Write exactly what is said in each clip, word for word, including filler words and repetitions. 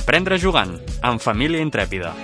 Aprendre jugant, amb Família Intrèpida.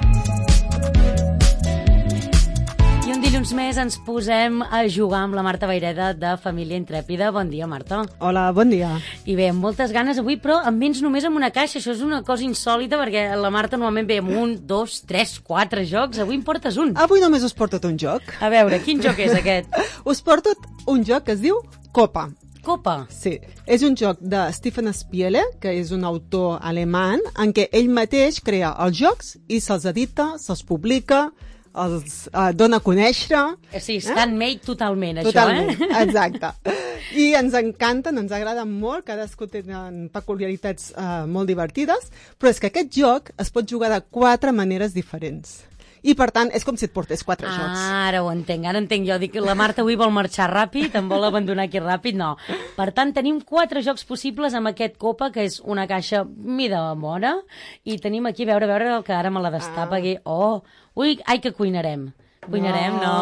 I un dilluns més ens posem a jugar amb la Marta Vayreda de Família Intrèpida. Bon dia, Marta. Hola, bon dia. I bé, amb moltes ganes avui, però amb vens només amb una caixa. Això és una cosa insòlita, perquè la Marta normalment ve amb un, dos, tres, quatre jocs. Avui em portes un. Avui només us porto un joc. A veure, quin joc és aquest? Us porto un joc que es diu Copa. Copa? Sí. És un joc de Stefan Spiele, que és un autor alemany, en què ell mateix crea els jocs i se'ls edita, se'ls publica, els uh, dona a conèixer. Sí, stand-made eh? totalment, això, totalment, eh? exacte. I ens encanten, ens agraden molt, cadascú tenen peculiaritats uh, molt divertides, però és que aquest joc es pot jugar de quatre maneres diferents. I, per tant, és com si et portés quatre ah, jocs. Ara ho entenc, ara entenc. Jo dic que la Marta avui vol marxar ràpid, em vol abandonar aquí ràpid, no. Per tant, tenim quatre jocs possibles amb aquest Copa, que és una caixa mida bona, i tenim aquí, a veure, a veure, que ara me la destapa ah. aquí. Oh, ui, ai, que cuinarem. Cuinarem? No.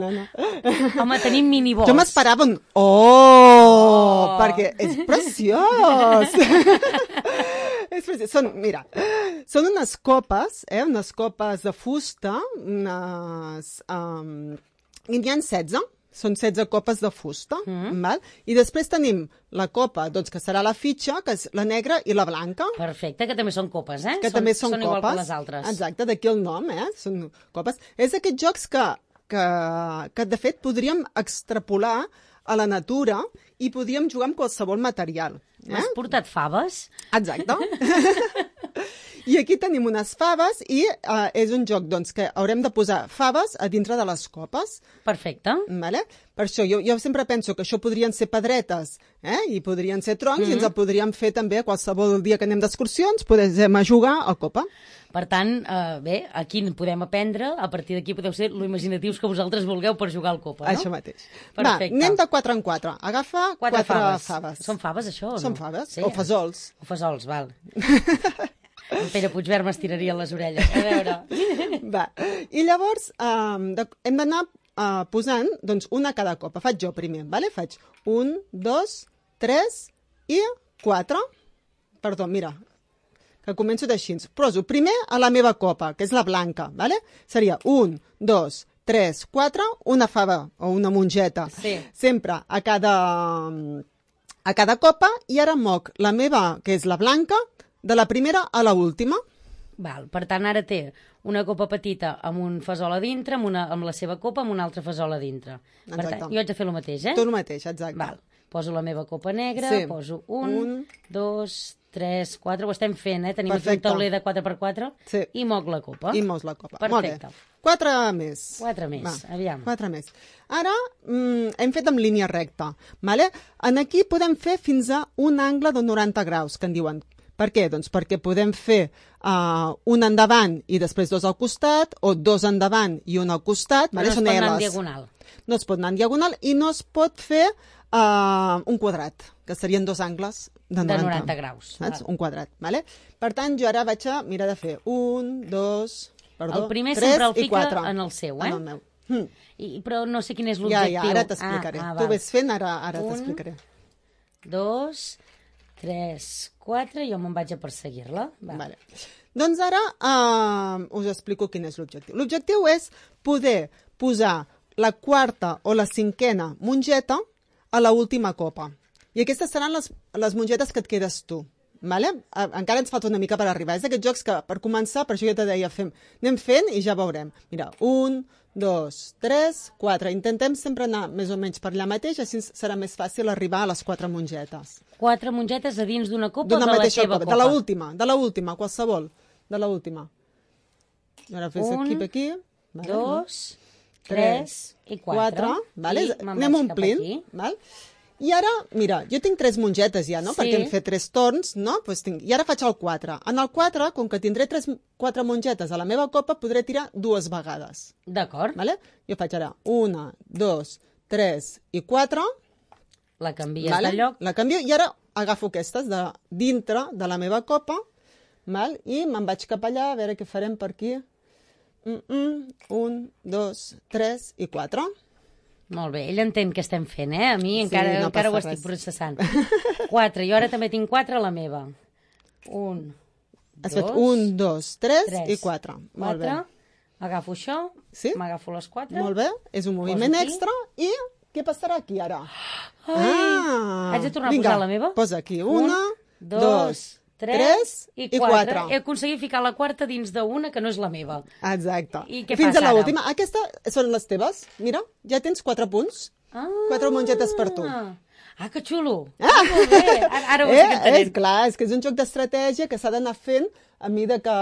No, no, no. Home, tenim minibols. Jo m'esperava un... Oh, oh! Perquè és preciós! és preciós. Són, mira, són unes copes, eh? Unes copes de fusta, unes... Um, i n'hi ha setze. Són setze copes de fusta, mm. val? I després tenim la copa, doncs, que serà la fitxa, que és la negra i la blanca. Perfecte, que també són copes, eh? Que són, també són, són copes. Igual que les altres. Exacte, d'aquí el nom, eh? Són copes. És d'aquests jocs que, que, que, de fet, podríem extrapolar a la natura i podríem jugar amb qualsevol material. Eh? M'has portat faves? Exacte. I aquí tenim unes faves i uh, és un joc doncs, que haurem de posar faves a dintre de les copes. Perfecte. Vale? Per això jo, jo sempre penso que això podrien ser pedretes eh? I podrien ser troncs mm-hmm. i ens el podríem fer també qualsevol dia que anem d'excursions, podem jugar a copa. Per tant, eh, bé, aquí podem aprendre, a partir d'aquí podeu ser lo imaginatius que vosaltres vulgueu per jugar al Copa, no? Això mateix. Perfecte. Va, anem de quatre en quatre. Agafa quatre, quatre faves. faves. Són faves, això, o no? Són faves, sí, o fesols. O fesols, val. En Pere Puigverd m'estiraria les orelles. A veure. Va. I llavors um, de, hem d'anar uh, posant doncs, una a cada copa. Faig jo primer, vale? Faig un, dos, tres i quatre. Perdó, mira, que començo d'així. Poso primer a la meva copa, que és la blanca, vale? Seria un, dos, tres, quatre, una fava o una mongeta. Sí. Sempre a cada, a cada copa, i ara moc la meva, que és la blanca, de la primera a la última. Val, per tant, ara té una copa petita amb un fesol a dintre, amb, una, amb la seva copa amb una altra fesol a dintre. Exacte. Per tant, jo haig de fer el mateix, eh? Tu el mateix, exacte. Val. Poso la meva copa negra, sí. poso un, un, dos, tres, quatre, ho estem fent, eh? Tenim Perfecte. aquí un tauler de quatre per quatre sí. i moc la copa. I mos la copa. Perfecte. Molt bé. Quatre més. Quatre més, Va, aviam. Quatre més. Ara mm, hem fet amb línia recta. Vale? En aquí podem fer fins a un angle de noranta graus, que en diuen. Per què? Doncs perquè podem fer uh, un endavant i després dos al costat, o dos endavant i un al costat. Però vale? no es Són pot anar L's. en diagonal. No es pot anar en diagonal i no es pot fer uh, un quadrat, que serien dos angles de noranta, de noranta graus. Saps? Un quadrat. Vale? Per tant, jo ara vaig a mirar de fer un, dos, perdó, el primer tres sempre el i fica quatre. en el seu, eh? En el meu. Hm. I, però no sé quin és Ja, l'objectiu. ja, ara t'explicaré. Ah, ah, tu ves fent, ara, ara un, t'explicaré. Dos, tres, quatre, jo me'n vaig a perseguir-la. Va. Vale. Doncs ara uh, us explico quin és l'objectiu. L'objectiu és poder posar la quarta o la cinquena mongeta a la última copa. I aquestes seran les, les mongetes que et quedes tu. Vale? Encara ens falta una mica per arribar. És d'aquests jocs que, per començar, per això jo te deia, fem, anem fent i ja veurem. Mira, un, dos, tres, quatre. Intentem sempre anar més o menys per allà mateix, així serà més fàcil arribar a les quatre mongetes. Quatre mongetes a dins d'una copa o de la teva copa? De la última, de la última, qualsevol. De la última. Ara fes un, aquí, aquí. Vale, dos, no? tres i quatre. quatre vale? I anem omplint. Val? I ara, mira, jo tinc tres mongetes ja, no? Sí. Perquè hem fet tres torns, no? Pues tinc... I ara faig el quatre. En el quatre, com que tindré tres, quatre mongetes a la meva copa, podré tirar dues vegades. D'acord. Vale? Jo faig ara una, dos, tres i quatre. La canvies vale? de lloc. La canvio i ara agafo aquestes de dintre de la meva copa, val? I me'n vaig cap allà, a veure què farem per aquí. Mm -mm. Un, dos, tres i quatre. Molt bé, ell entén què estem fent, eh? A mi Sí, encara, no encara ho passa estic res. processant. Quatre, jo ara també tinc quatre a la meva. Un, Has fet un, dos, tres i quatre. Molt bé. Agafo això, sí? m'agafo les quatre. Molt bé, és un moviment extra i què passarà aquí ara? Ai, ah, haig de tornar vinga, a posar la meva? Posa aquí una, un, dos, dos tres i quatre. i quatre. He aconseguit ficar la quarta dins d'una que no és la meva. Exacte. I què Fins passa a ara? l'última. Aquesta són les teves. Mira, ja tens quatre punts. Ah, quatre mongetes per tu. Ah, que xulo. Ah, molt bé. Ara, ara ho eh, estic entenent. És clar, és que és un joc d'estratègia que s'ha d'anar fent a mida que,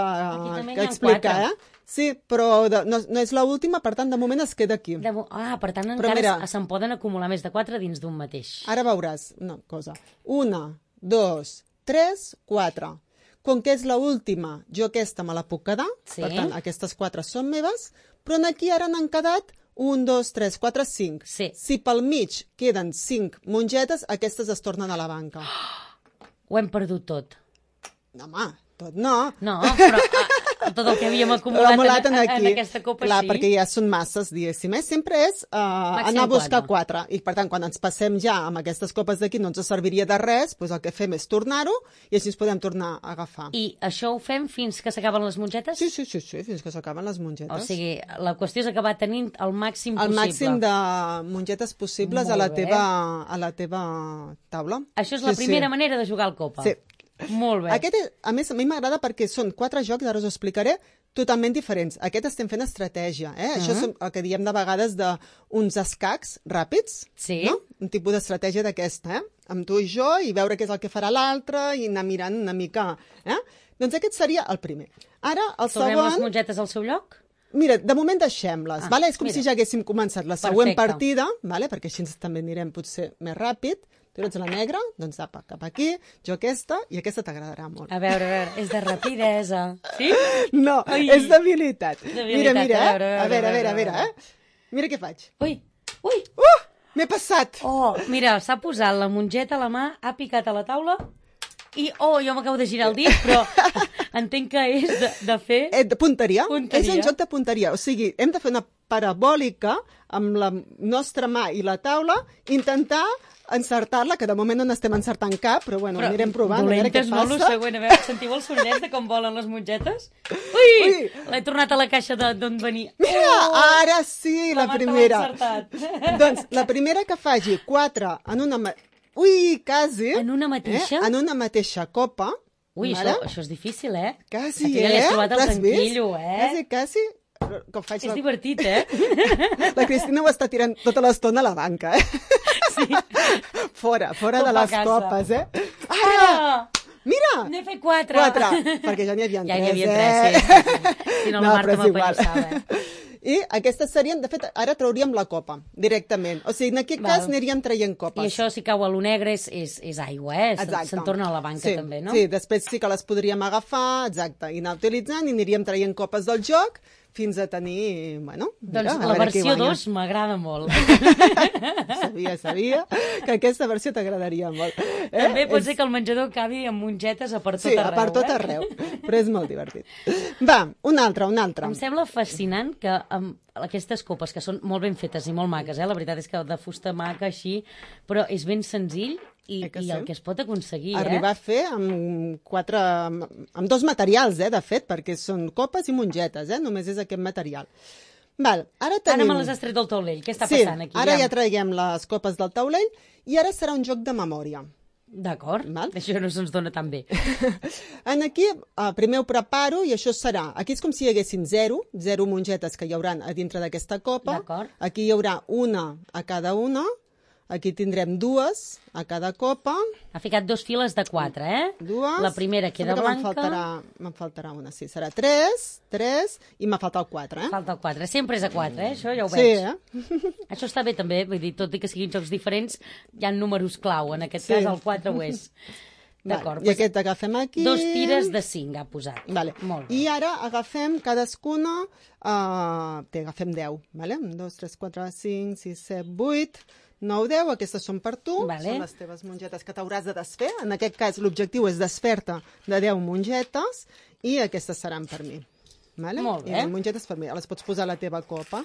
que explica, eh? Sí, però de, no, no és l'última, per tant, de moment es queda aquí. De, ah, per tant, però encara se'n poden acumular més de quatre dins d'un mateix. Ara veuràs una cosa. Una, dos, tres, quatre. Com que és l'última, jo aquesta me la puc quedar, sí. Per tant, aquestes quatre són meves, però aquí ara n'han quedat un, dos, tres, quatre, cinc. Sí. Si pel mig queden cinc mongetes, aquestes es tornen a la banca. Oh, ho hem perdut tot. No, home, tot no. No, però a, tot el que havíem acumulat en, en, en aquesta copa clar, sí. Perquè ja són masses, diguéssim. Eh? Sempre és uh, anar a buscar quatre. I, per tant, quan ens passem ja amb aquestes copes d'aquí no ens serviria de res, doncs el que fem és tornar-ho i així ens podem tornar a agafar. I això ho fem fins que s'acaben les mongetes? Sí, sí, sí, sí, fins que s'acaben les mongetes. O sigui, la qüestió és acabar tenint el màxim el possible. El màxim de mongetes possibles a la, teva, a la teva taula. Això és la sí, primera sí. manera de jugar al copa. Sí. Molt bé. Aquest, a més, a mi m'agrada perquè són quatre jocs, ara us ho explicaré, totalment diferents. Aquest estem fent estratègia, eh? Uh -huh. Això és el que diem de vegades d'uns escacs ràpids, sí. No? Un tipus d'estratègia d'aquesta, eh? Amb tu i jo, i veure què és el que farà l'altre, i anar mirant una mica, eh? Doncs aquest seria el primer. Ara, el Tornem segon... les mongetes al seu lloc? Mira, de moment deixem-les, ah, vale? És com mira. si ja haguéssim començat la següent Perfecte. partida, vale? Perquè així també anirem potser més ràpid. Tu ets la negra, doncs apa, cap aquí, jo aquesta, i aquesta t'agradarà molt. A veure, a veure, és de rapidesa. Sí? No, Ai. és d'habilitat. Mira, mira, a eh? veure, A veure, a veure, a veure, eh? Mira què faig. Ui, ui. Uh, m'he passat. Oh, mira, s'ha posat la mongeta a la mà, ha picat a la taula i, oh, jo m'acabo de girar el dit, però entenc que és de, de fer... Eh, de punteria. punteria. És un joc de punteria. O sigui, hem de fer una parabòlica amb la nostra mà i la taula, intentar encertar-la, que de moment no n'estem encertant cap, però bueno, però anirem provant, a veure què passa. No, lo següent, a veure, sentiu el sonnet de com volen les mongetes? Ui! Ui. L'he tornat a la caixa d'on venia. Mira, oh! ara sí, la, la primera. Doncs la primera que faci quatre en una... Ui, quasi. En una mateixa? Eh? En una mateixa copa. Ui, això, això és difícil, eh? Quasi, Aquí eh? ja l'he trobat el tranquillo, eh? Quasi, quasi. Com faig és la... divertit, eh? La Cristina ho està tirant tota l'estona a la banca, eh? Sí. Fora, fora Copa de les casa. copes, eh? Ara! Mira! N'he fet quatre. Quatre, perquè ja n'hi havia ja tres, n'hi havia eh? tres, sí. sí, sí. Si no, no la Marta però és igual. m'apallissava. I aquestes serien, de fet, ara trauríem la copa, directament. O sigui, en aquest Val. cas aniríem traient copes. I això, si cau a lo negre, és, és, és aigua, eh? Exacte. Se'n torna a la banca, sí, també, no? Sí, després sí que les podríem agafar, exacte, i anar utilitzant, i aniríem traient copes del joc, fins a tenir, bueno... Mira, doncs la versió dos m'agrada molt. Sabia, sabia que aquesta versió t'agradaria molt. Eh? També pot és... ser que el menjador acabi amb mongetes a per tot sí, arreu. Sí, a per tot eh? arreu, però és molt divertit. Va, una altra, una altra. Em sembla fascinant que amb aquestes copes, que són molt ben fetes i molt maques, eh? La veritat és que de fusta maca així, però és ben senzill i, eh i sí? el que es pot aconseguir, Arribar eh? a fer amb quatre... amb dos materials, eh, de fet, perquè són copes i mongetes, eh? Només és aquest material. Val, ara tenim... Ara me les has tret del taulell, què està sí, passant aquí? ara ja traiem les copes del taulell i ara serà un joc de memòria. D'acord, això no se'ns dona tan bé. En aquí, uh, primer ho preparo i això serà... Aquí és com si hi haguessin zero, zero mongetes que hi haurà a dintre d'aquesta copa. Aquí hi haurà una a cada una. Aquí tindrem dues a cada copa. Ha ficat dos files de quatre, eh? Dues. La primera queda que blanca. Me'n faltarà, me'n faltarà una, sí. Serà tres, tres, i m'ha faltat el quatre, eh? Falta el quatre. Sempre és a quatre, eh? Això ja ho sí, veig. Eh? Això està bé, també. Vull dir, tot i que siguin jocs diferents, hi ha números clau. En aquest sí. cas, el quatre ho és. D'acord. I aquest agafem aquí. Dos tires de cinc ha posat. Vale. Molt bé. I ara agafem cadascuna... Uh, té, agafem deu, vale? Un, dos, tres, quatre, cinc, sis, set, vuit... nou, deu, aquestes són per tu, vale. Són les teves mongetes que t'hauràs de desfer. En aquest cas l'objectiu és desfer-te de deu mongetes i aquestes seran per mi. Vale? Molt bé. I les mongetes per mi, les pots posar a la teva copa.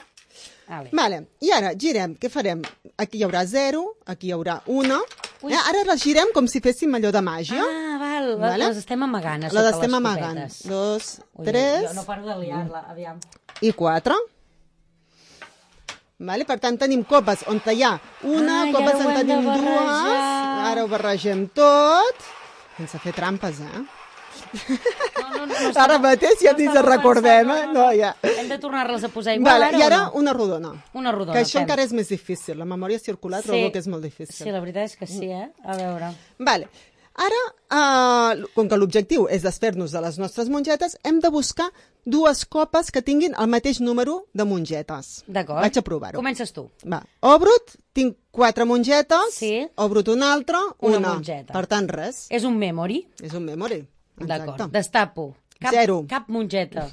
Vale. Vale. I ara girem, què farem? Aquí hi haurà zero, aquí hi haurà una. Eh, ara les girem com si féssim allò de màgia. Ah, val. val, Vale? les estem amagant a Les sota estem les amagant. copetes. Dos, Ui, tres Jo no paro de liar-la, aviam. i quatre. Vale? Per tant, tenim copes on hi ha una, Ah, i copes ara ho on hem de tenim dues. barrejar. Ara ho barregem tot. Sense fer trampes, eh? No, no, no, no Ara estava- mateix ja no ni estava ens recordem, pensant, eh? No, ja. Hem de tornar-les a posar igual Vale, ara I o ara no? una rodona. Una rodona, Que això fem. encara és més difícil. La memòria circular trobo que és molt difícil. Sí, la veritat és que sí, eh? A veure. Vale. Ara, uh, com que l'objectiu és desfer-nos de les nostres mongetes, hem de buscar dues copes que tinguin el mateix número de mongetes. D'acord. Vaig a provar-ho. Comences tu. Va. Obrut, tinc quatre mongetes. Sí. Obrut una altra, Una una. mongeta. Per tant, res. És un memory. És un memory. D'acord. Exacte. Destapo. Cap, Zero. Cap mongeta.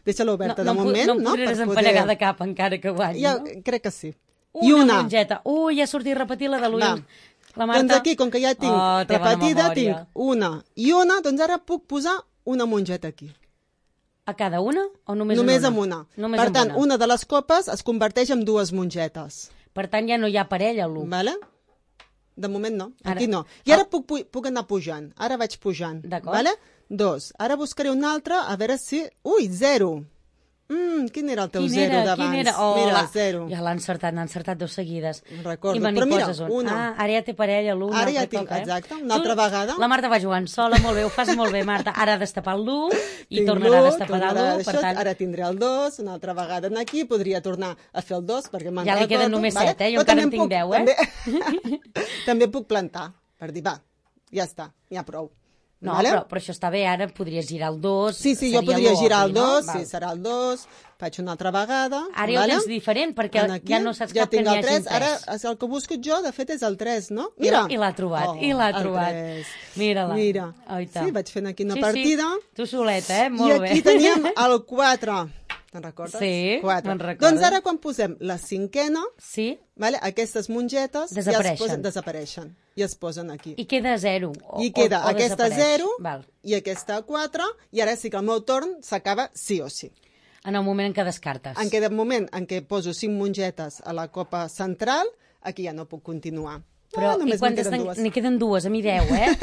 Deixa-la oberta de em pu- moment, no? em no? podré Per desempallegar de cap encara que guanyi, Ja, no? crec que sí. Una, I una. mongeta. Ui, ja ha sortit repetir la de l'ull. Va. La Marta... Doncs aquí, com que ja tinc oh, té bona repetida, memòria. tinc una i una, doncs ara puc posar una mongeta aquí. A cada una o només, Només en amb una? una. Només per amb tant, una. una de les copes es converteix en dues mongetes. Per tant, ja no hi ha parella, l'u. Vale? De moment no, Ara- aquí no. I ara puc, pu- puc anar pujant. Ara vaig pujant. D'acord. Vale? Dos. Ara buscaré un altre, a veure si... Ui, zero. Mm, quin era el teu Quin zero era? d'abans? Quin era? Oh, Mira, la... zero. Ja l'ha encertat, n'ha encertat dos seguides. Recordo. I me n'hi Però mira, poses un. una. Ah, ara ja té parella, l'u. un Ara ja altre tinc, cop, eh? exacte, una altra vegada. La Marta va jugant sola, molt bé, ho fas molt bé, Marta. Ara ha destapar l'u i Tinc tornarà l'u, a destapar tornarà l'u, per d'això, tant... Ara tindré el dos, una altra vegada aquí, podria tornar a fer el dos, perquè me'n Ja li recordo. queden només vale? set, eh? Jo Però encara també en tinc puc- deu, eh? També, també puc plantar, per dir, va, ja està, ja prou. No, vale? però, però això està bé, ara podries girar el dos. Sí, sí, jo seria podria l'u, girar el obvi, no? dos, Val. sí, serà el dos, faig una altra vegada. Ara ja ho vale? tens diferent, perquè En aquí, ja no saps ja cap que tinc n'hi el hagi tres. Ara, tres. el que busco jo, de fet, és el tres, no? I Mira! l'ha- i l'ha trobat, Oh, i l'ha el trobat. tres. Mira-la. Mira. Oita. Sí, vaig fent aquí una sí, partida. Sí. Tu soleta, eh? Molt I aquí bé. teníem el quatre. Te'n recordes? Sí, quatre. me'n recordo. Doncs ara, quan posem la cinquena, Sí? vale, aquestes mongetes ja es Desapareixen. posen, desapareixen i es posen aquí. I queda zero. O, I queda o, o aquesta desapareix. zero Val. i aquesta quatre, i ara sí que el meu torn s'acaba sí o sí. En el moment en què descartes. En aquest moment en què poso cinc mongetes a la copa central, aquí ja no puc continuar. Però, ah, i només quan me'n queden estan... dues. N'hi queden dues, a mi deu, eh?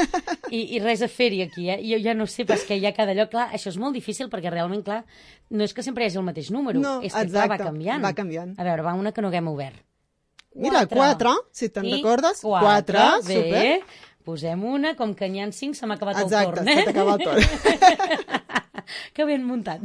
I, I res a fer-hi aquí, eh? Jo ja no sé, perquè hi ha cada lloc. Clar, això és molt difícil, perquè realment, clar, no és que sempre hi hagi el mateix número. No, és que, clar, va exacte, canviant. va canviant. A veure, va una que no haguem obert. Mira, quatre, si te'n I recordes. Quatre, Quatre, bé. super. Posem una, com que n'hi ha cinc, se m'ha acabat Exacte, el torn, se eh? t'acaba el torn. Que ben muntat.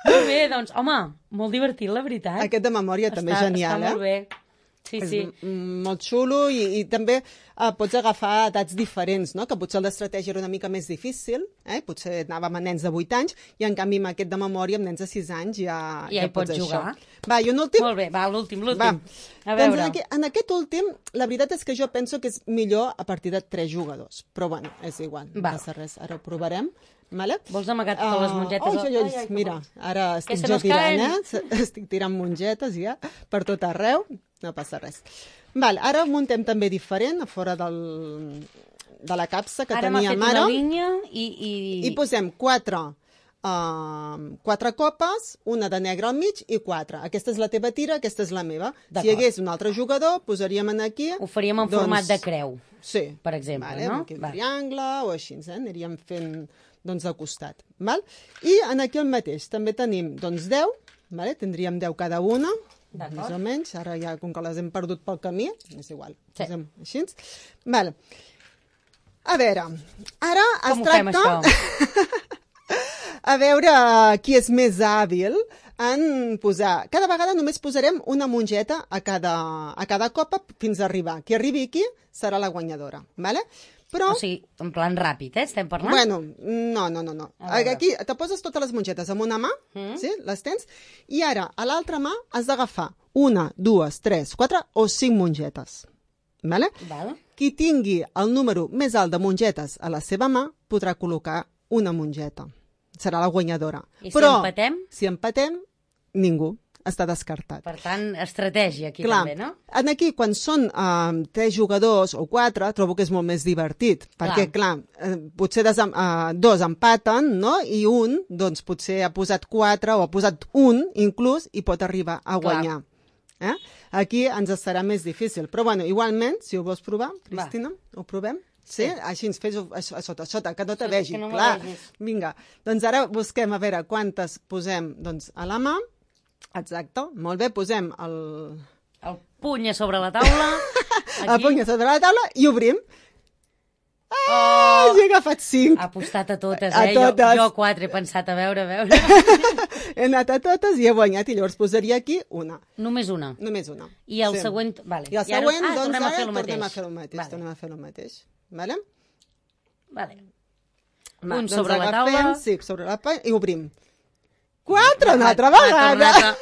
Molt bé, doncs, home, molt divertit, la veritat. Aquest de memòria també és genial, està eh? molt bé. Sí, És sí. m- molt xulo i, i també eh, pots agafar edats diferents, no? Que potser el d'estratègia era una mica més difícil, eh? Potser anàvem a nens de vuit anys i en canvi amb aquest de memòria amb nens de sis anys ja, Ja hi pots això. jugar. Va, i un últim? Molt bé, va, l'últim, Va. l'últim. A Doncs veure. en, aquest, en aquest últim, la veritat és que jo penso que és millor a partir de tres jugadors. Però bueno, és igual, no Val. passa res. Ara ho provarem. Vale? Vols amagar totes les mongetes? Oh, ai, ai, Ai, ai, mira, ara estic se jo nos tirant, caen. eh? S- Estic tirant mongetes ja per tot arreu. No passa res. Val, ara ho muntem també diferent, a fora del, de la capsa que Ara m'ha fet teníem una ara. línia i... I, I posem quatre, uh, quatre copes, una de negre al mig i quatre. Aquesta és la teva tira, aquesta és la meva. Si hi hagués un altre jugador, posaríem en aquí... Ho faríem en doncs, format de creu. Sí. Per exemple, vale, no? Aquí un Va. triangle o així, eh? Aniríem fent doncs, de costat. Val? I en aquí el mateix. També tenim doncs, deu, vale? Tindríem deu cada una, més o menys. Ara ja, com que les hem perdut pel camí, és igual. Sí. Posem així. Val. A veure, ara es Com ho fem, tracta... això? A veure qui és més hàbil en posar... Cada vegada només posarem una mongeta a cada, a cada copa fins a arribar. Qui arribi aquí serà la guanyadora, vale? Però... O sigui, en plan ràpid, eh? Estem parlant? Bueno, no, no, no. no. A veure. Aquí te poses totes les mongetes amb una mà, mm. sí? Les tens, i ara a l'altra mà has d'agafar una, dues, tres, quatre o cinc mongetes. Vale? Val. Qui tingui el número més alt de mongetes a la seva mà podrà col·locar una mongeta. Serà la guanyadora. I si Però, empatem? si empatem, ningú. Està descartat. Per tant, estratègia aquí Clar, també, no? en aquí, quan són uh, tres jugadors o quatre, trobo que és molt més divertit, perquè, clar, eh, potser desem, uh, dos empaten, no?, i un, doncs, potser ha posat quatre o ha posat un, inclús, i pot arribar a guanyar. Eh? Aquí ens serà més difícil. Però, bueno, igualment, si ho vols provar, Cristina, ho provem? Sí? Així ens fes a, a sota, a sota, que no te Sota, vegi, que no me clar. vegis. Vinga, doncs ara busquem a veure quantes posem doncs, a la mà. Exacte, molt bé, posem el, El puny a sobre la taula. el Aquí. puny a sobre la taula i obrim. Oh, Ah, he agafat cinc. ha apostat a totes, A eh? totes. Jo, jo quatre he pensat, a veure, a veure. He anat a totes i he guanyat, i llavors posaria aquí una. Només una. Només una. I el següent... Vale. I el ara- següent, ah, doncs tornem a ara fer el tornem a mateix. fer el mateix. Vale. Tornem a fer el mateix. Vale? Vale. Va, Un doncs sobre la agafem, taula. Sí, sobre la taula, i obrim. Quatre, una altra Ha- ha vegada. tornat a-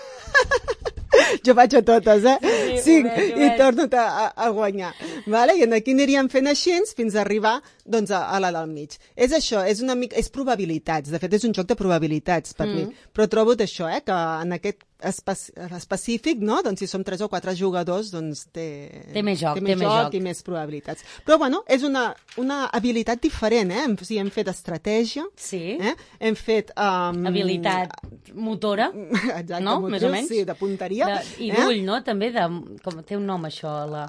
Jo vaig a totes, eh? Sí, Cinc, ho veig, ho i veig. torno a, a, a guanyar. Vale? I aquí aniríem fent així fins a arribar doncs, a, a la del mig. És això, és una mica, és probabilitats. De fet, és un joc de probabilitats per mm. mi. Però trobo això, eh, que en aquest espe específic, no? Doncs si som tres o quatre jugadors, doncs té, Té més joc, té més té més joc, joc. i més probabilitats. Però, bueno, és una, una habilitat diferent, eh? O sigui, hem fet estratègia, Sí. eh? Hem fet... Um, Habilitat motora. Exacte, No? motriu, Més o menys. sí, de punteria. De, I eh? d'ull, no? També, de, com té un nom això, la,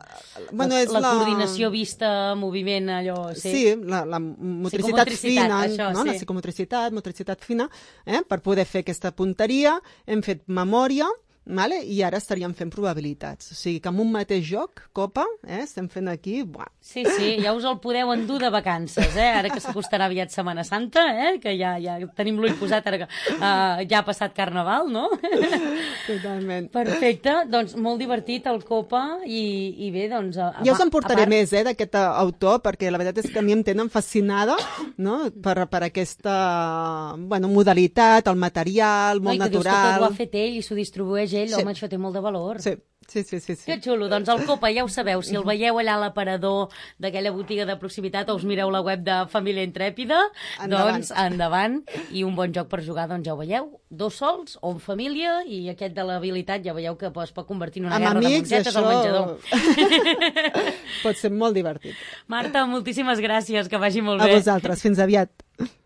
Bueno, la, és la, la- coordinació vista, moviment, allò... Sí, Sí, la, la motricitat Psicomotricitat, fina, això, no? sí. La psicomotricitat, motricitat fina, eh? Per poder fer aquesta punteria, hem fet memòria, vale? I ara estaríem fent probabilitats. O sigui que amb un mateix joc, Copa, eh? Estem fent aquí... Buah. sí, sí, ja us el podeu endur de vacances, eh? Ara que s'acostarà aviat Setmana Santa, eh? Que ja, ja tenim l'ull posat, ara que uh, ja ha passat Carnaval, no? Totalment. Perfecte, doncs molt divertit el Copa i, i bé, doncs... A, Ja us en a portaré part- més, eh, d'aquest eh, autor, perquè la veritat és que a mi em tenen fascinada, no?, per, per aquesta, bueno, modalitat, el material, No, molt i que dius que tot ho natural. ha fet ell i s'ho distribueix ell, Sí. home, això té molt de valor. Sí, sí, sí, sí. sí. Que xulo, doncs el Copa ja ho sabeu, si el veieu allà a l'aparador d'aquella botiga de proximitat o us mireu la web de Família Intrèpida, Endavant. doncs endavant, i un bon joc per jugar, doncs ja ho veieu, dos sols o en família, i aquest de l'habilitat ja veieu que es pot convertir en una Amb guerra de amics, mongetes al això menjador. pot ser molt divertit. Marta, moltíssimes gràcies, que vagi molt A bé. vosaltres, fins aviat.